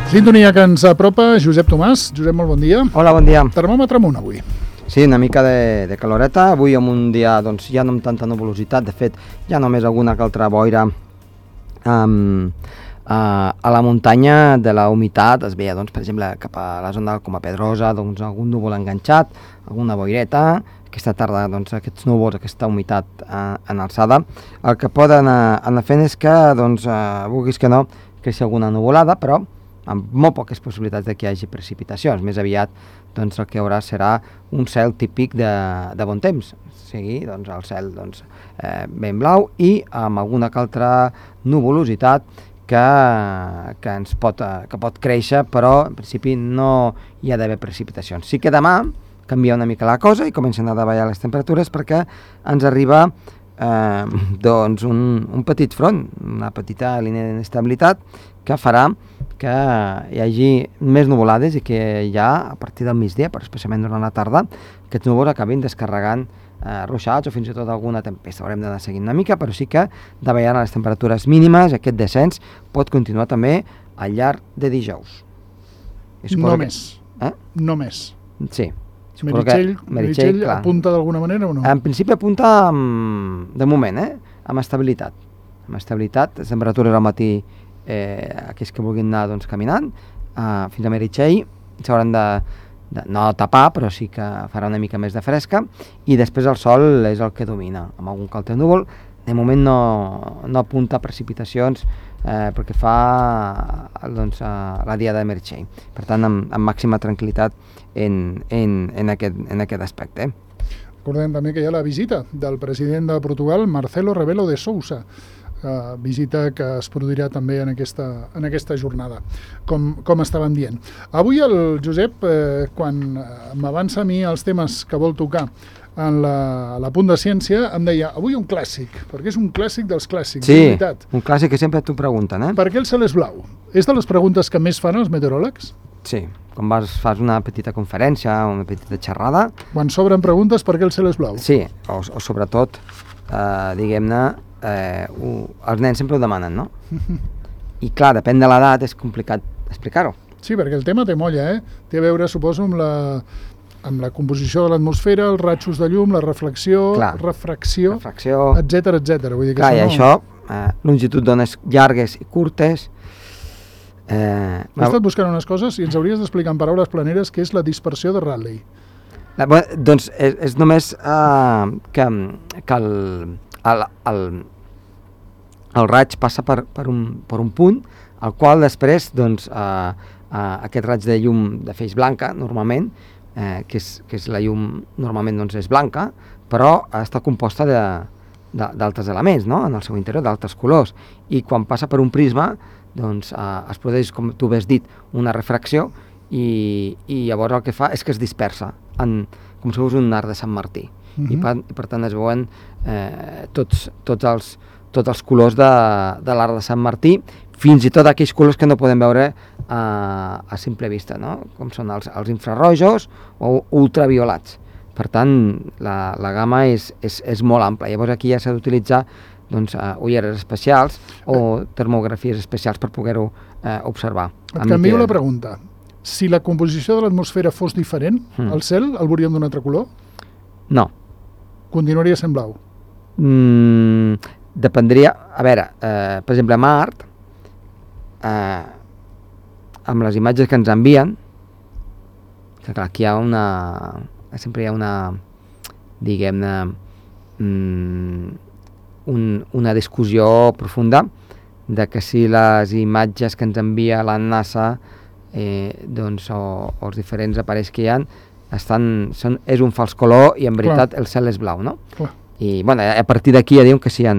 Sintonia que ens apropa Josep Tomàs. Josep, molt bon dia. Hola, bon dia. Termòmetre amunt avui. Sí, una mica de caloreta. Avui amb un dia doncs, ja no amb tanta nuvolositat. De fet, ja només alguna que altra boira a la muntanya de la humitat. Es veia, doncs, per exemple, cap a la zona com a Pedrosa, doncs, algun núvol enganxat, alguna boireta. Aquesta tarda, doncs, aquests núvols, aquesta humitat en alçada. El que poden anar fent és que, doncs, vulguis que no, creixi alguna nuvolada, però amb molt poques possibilitats de que hi hagi precipitacions. Més aviat, doncs, el que hi haurà serà un cel típic de bon temps, o sigui, doncs, el cel doncs, ben blau i amb alguna que altra nuvolositat que pot créixer, però en principi no hi ha d'haver precipitacions. Sí que demà canvia una mica la cosa i comencen a davallar les temperatures perquè ens arriba doncs un petit front, una petita línia d'inestabilitat que farà que hi hagi més nuvolades i que ja a partir del migdia, però especialment durant la tarda, aquests núvols acabin descarregant ruixats o fins i tot alguna tempesta. Haurem d'anar seguint una mica, però sí que davallant les temperatures mínimes, aquest descens pot continuar també al llarg de dijous. Només. Només. Sí. Meritxell apunta d'alguna manera o no? En principi apunta de moment, amb estabilitat. Amb estabilitat, les temperatures al matí, aquells que vulguin anar doncs, caminant, fins a Meritxell s'hauran de no tapar, però sí que farà una mica més de fresca, i després el sol és el que domina, amb algun que altre núvol. De moment no apunta precipitacions perquè fa doncs, la dia de Meritxell. Per tant, amb màxima tranquil·litat en aquest aspecte. Recordem també que hi ha la visita del president de Portugal, Marcelo Rebelo de Sousa, visita que es produirà també en aquesta jornada, com estàvem dient. Avui el Josep, quan m'avança a mi els temes que vol tocar en la Punt de Ciència, em deia, avui un clàssic, perquè és un clàssic dels clàssics, sí, de veritat. Un clàssic que sempre t'ho pregunten, Per què el cel és blau? És de les preguntes que més fan els meteoròlegs? Sí, quan fas una petita conferència, una petita xerrada... Quan s'obren preguntes, per què el cel és blau? Sí, o sobretot, diguem-ne, els nens sempre ho demanen, no? I clar, depèn de l'edat, és complicat explicar-ho. Sí, perquè el tema té molla, Té a veure, suposo, amb la composició de l'atmosfera, els rajos de llum, la refracció, etcètera. Vull dir que clar, i això, longitud d'ones llargues i curtes... He estat buscant unes coses i ens hauries d'explicar en paraules planeres què és la dispersió de Rayleigh. Doncs és només que el raig passa per un punt, al qual després doncs, aquest raig de llum de feix blanca, normalment, que és la llum normalment doncs, és blanca, però està composta d'altres elements, no? En el seu interior, d'altres colors, i quan passa per un prisma doncs, es produeix, com tu has dit, una refracció i llavors el que fa és que es dispersa com si fos un arc de Sant Martí. I per tant es veuen tots els colors de l'arc de Sant Martí, fins i tot aquells colors que no podem veure a simple vista, no? Com són els infrarrojos o ultraviolats. Per tant, la gamma és molt ampla. Llavors aquí ja s'ha d'utilitzar doncs, ulleres especials o termografies especials per poder-ho observar. Et canvio la pregunta. Si la composició de l'atmosfera fos diferent, el cel el veuríem d'un altre color? No. Continuaria sent blau? Dependria... A veure, per exemple, a Mart, amb les imatges que ens envien, que clar, aquí sempre hi ha una, diguem-ne, una discussió profunda de que si les imatges que ens envia la NASA doncs, o els diferents aparells que hi ha és un fals color i en veritat el cel és blau, no? Clar. I bueno, a partir d'aquí ja diuen que si hi ha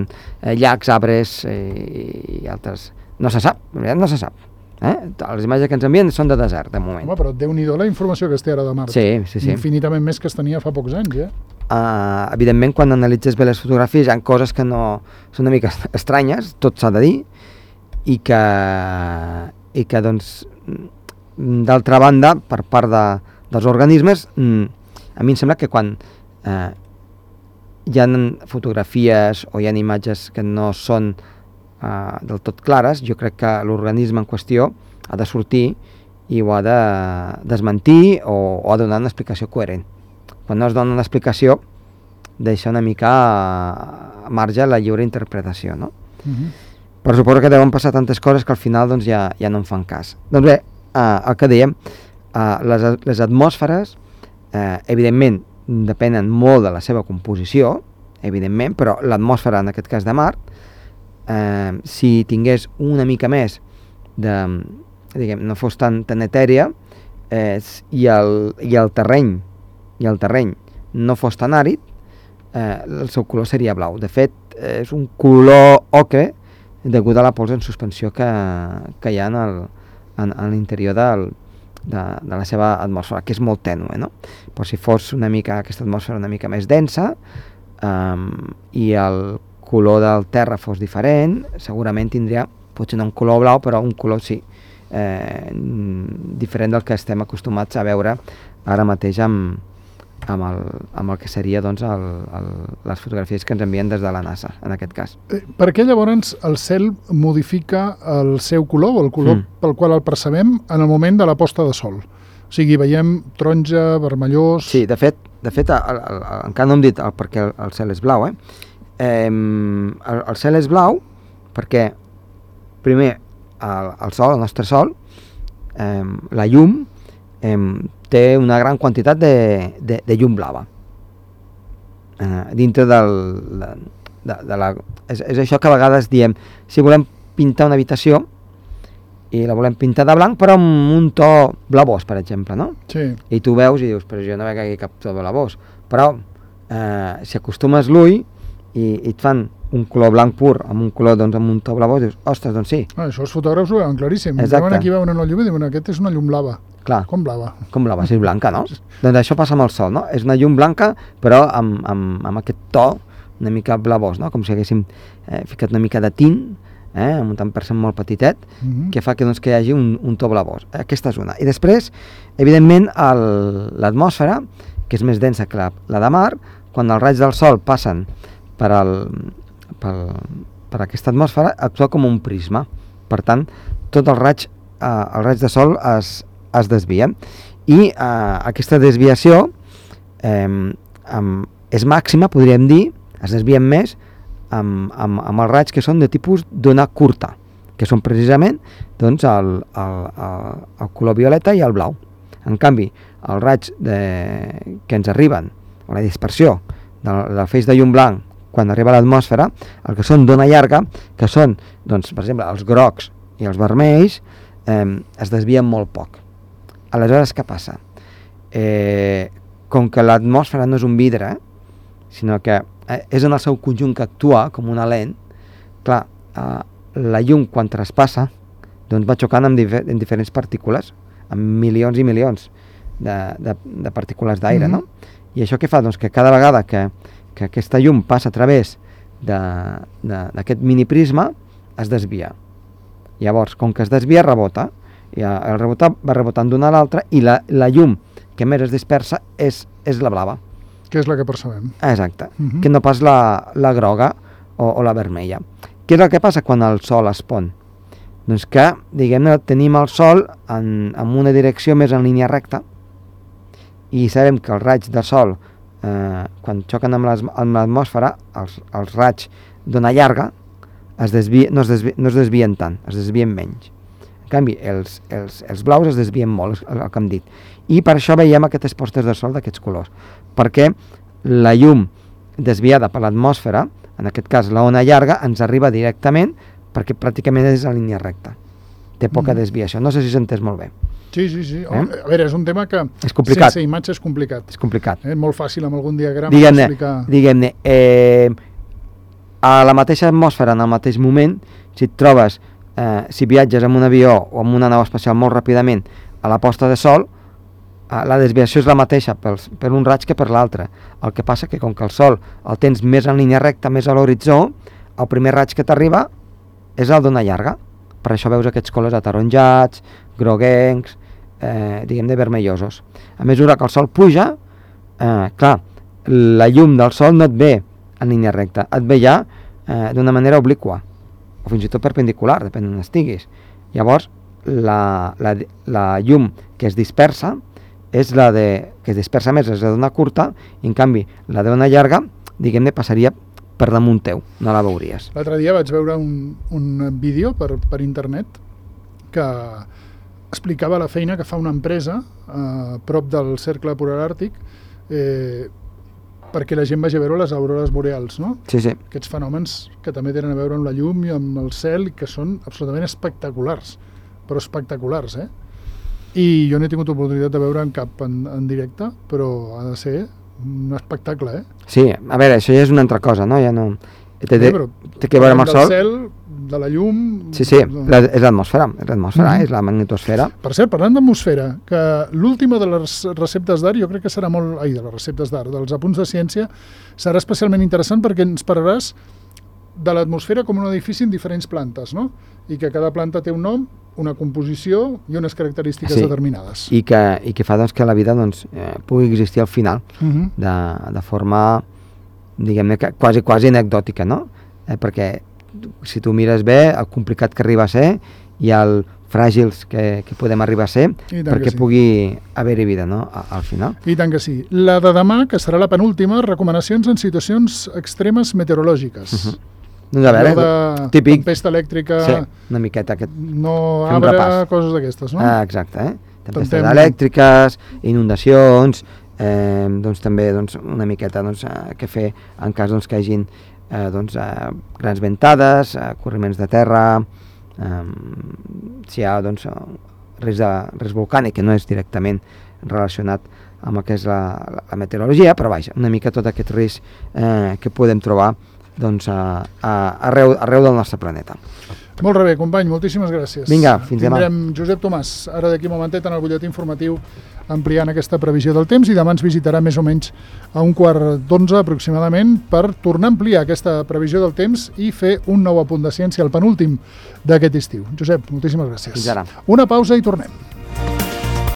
llacs, arbres i altres... No se sap, en veritat no se sap. Les imatges que ens envien són de desert, de moment. Home, però Déu-n'hi-do la informació que es té ara de Mart. Sí. Infinitament més que es tenia fa pocs anys, Evidentment, quan analitzes bé les fotografies hi ha coses que no són una mica estranyes, tot s'ha de dir, i que doncs, d'altra banda, per part dels organismes, a mi em sembla que quan hi ha fotografies o hi ha imatges que no són del tot clares, jo crec que l'organisme en qüestió ha de sortir i ho ha de desmentir o ha de donar una explicació coherent. Quan no es dona una explicació, deixa una mica a marge la lliure interpretació, no? Però suposo que deuen passar tantes coses que al final doncs, ja no en fan cas. Doncs bé, el que dèiem, les atmosferes, evidentment, depenen molt de la seva composició, evidentment, però l'atmosfera, en aquest cas de Mart, si tingués una mica més de, diguem, no fos tan etèria, i el terreny no fos tan àrid, el seu color seria blau. De fet, és un color ocre degut a la pols en suspensió que hi ha en l'interior de la seva atmosfera, que és molt tènue, no? Però si fos aquesta atmosfera una mica més densa i el color del terra fos diferent, segurament tindria, potser no un color blau, però un color sí, diferent del que estem acostumats a veure ara mateix amb el que seria doncs, les fotografies que ens envien des de la NASA, en aquest cas. Per què llavors el cel modifica el seu color, o el color pel qual el percebem en el moment de la posta de sol? O sigui, veiem taronja, vermellós... Sí, de fet encara no hem dit per què el cel és blau. El cel és blau perquè, primer, el sol, el nostre sol, la llum, té una gran quantitat de llum blava dintre de la... És això que a vegades diem, si volem pintar una habitació i la volem pintar de blanc però amb un to blavós, per exemple, no? Sí. I tu veus i dius, però jo no veig aquí cap to blavós, però si acostumes l'ull i et fan un color blanc pur amb un color, doncs, amb un to blavós, dius, ostres, doncs sí. Això els fotògrafs ho veuen claríssim. Exacte. Aquí veuen la llum i diuen, aquest és una llum blava. Clar. Com blava? Com blava, si és blanca, no? Doncs això passa amb el sol, no? És una llum blanca, però amb aquest to una mica blavós, no? Com si haguéssim ficat una mica de tint, amb un tant per cent molt petitet, que fa que, doncs, que hi hagi un to blavós. Aquesta és una. I després, evidentment, l'atmosfera, que és més densa que la de mar, quan els raigs del sol passen per aquesta atmosfera, actua com un prisma. Per tant, tots els raigs de sol es desvien. I aquesta desviació és màxima, podríem dir, es desvien més amb els raigs que són de tipus d'ona curta, que són precisament, doncs, el color violeta i el blau. En canvi, els raigs que ens arriben, o la dispersió del feix de llum blanc quan arriba a l'atmosfera, el que són d'ona llarga, que són, doncs, per exemple, els grocs i els vermells, es desvien molt poc. Aleshores, què passa? Com que l'atmosfera no és un vidre, sinó que és en el seu conjunt que actua com una lent, clar, la llum quan traspassa doncs va xocant amb diferents partícules, amb milions i milions de partícules d'aire, no? I això què fa? Doncs que cada vegada que aquesta llum passa a través d'aquest miniprisma, es desvia. Llavors, com que es desvia, rebota. I el rebotar va rebotant d'una a l'altra i la llum que més es dispersa és la blava. Que és la que percebem. Exacte, que no pas la groga o la vermella. Què és el que passa quan el sol es pon? Doncs que, diguem-ne, tenim el sol en una direcció més en línia recta i sabem que els raigs de sol, quan xoquen amb l'atmosfera, els raigs d'ona llarga no es desvien tant, es desvien menys. En canvi, els blaus es desvien molt, el que hem dit. I per això veiem aquestes postes de sol d'aquests colors, perquè la llum desviada per l'atmosfera, en aquest cas la ona llarga, ens arriba directament perquè pràcticament és en línia recta. Té poca desviació. No sé si s'entès molt bé. Sí. A veure, és un tema que és complicat. Sense imatge és complicat. És complicat. Molt fàcil amb algun diagrama explicar... Diguem-ne, a la mateixa atmosfera, en el mateix moment, si et trobes, si viatges amb un avió o amb una nau espacial molt ràpidament a la posta de sol, la desviació és la mateixa per un raig que per l'altre. El que passa que com que el sol el tens més en línia recta, més a l'horitzó, el primer raig que t'arriba és el d'ona llarga. Per això veus aquests colors ataronjats, groguencs, diguem-ne vermellosos. A mesura que el sol puja, clar, la llum del sol no et ve en línia recta, et ve ja d'una manera obliqua, o fins i tot perpendicular, depèn d'on estiguis. Llavors, la llum que es dispersa és la que es dispersa més, és la d'ona curta, i en canvi la d'ona llarga, diguem-ne, passaria per damunt teu, no la veuries. L'altre dia vaig veure un vídeo per internet que explicava la feina que fa una empresa a prop del cercle polar àrtic perquè la gent vagi a veure les aurores boreals, no? Sí, sí. Aquests fenòmens que també tenen a veure amb la llum i amb el cel i que són absolutament espectaculars, però espectaculars, I jo no he tingut oportunitat de veure en cap en directe, però ha de ser un espectacle, Sí, a veure, això ja és una altra cosa, no? Ja no... Té que veure amb el sol. Del cel, de la llum... Sí, és l'atmosfera, és la magnetosfera. Per cert, parlant d'atmosfera, que l'última de les receptes d'art, jo crec que serà de les receptes d'art, dels apunts de ciència, serà especialment interessant perquè ens parlaràs de l'atmosfera com un edifici en diferents plantes, no? I que cada planta té un nom, una composició i unes característiques determinades. I que fa que la vida pugui existir al final, de forma, diguem-ne, quasi anecdòtica, no? Perquè si tu mires bé, el complicat que arriba a ser i el fràgils que podem arribar a ser perquè pugui haver-hi vida, no? Al final. I tant que sí. La de demà, que serà la penúltima, recomanacions en situacions extremes meteorològiques. Doncs a veure, típic. Tempesta elèctrica... Sí, una miqueta. No arbre, coses d'aquestes, no? Exacte, Tempestes elèctriques, inundacions, doncs també una miqueta què fer en cas que hi hagin grans ventades, corriments de terra, si hi ha risc volcànic, que no és directament relacionat amb el que és la meteorologia, però vaja, una mica tot aquest risc que podem trobar arreu del nostre planeta. Molt bé, company, moltíssimes gràcies. Vinga, fins demà. Tindrem Josep Tomàs, ara d'aquí un momentet en el butlletí informatiu, ampliant aquesta previsió del temps, i demà ens visitarà més o menys a 11:15 aproximadament per tornar a ampliar aquesta previsió del temps i fer un nou apunt de ciència, el penúltim d'aquest estiu. Josep, moltíssimes gràcies. Fins ara. Una pausa i tornem.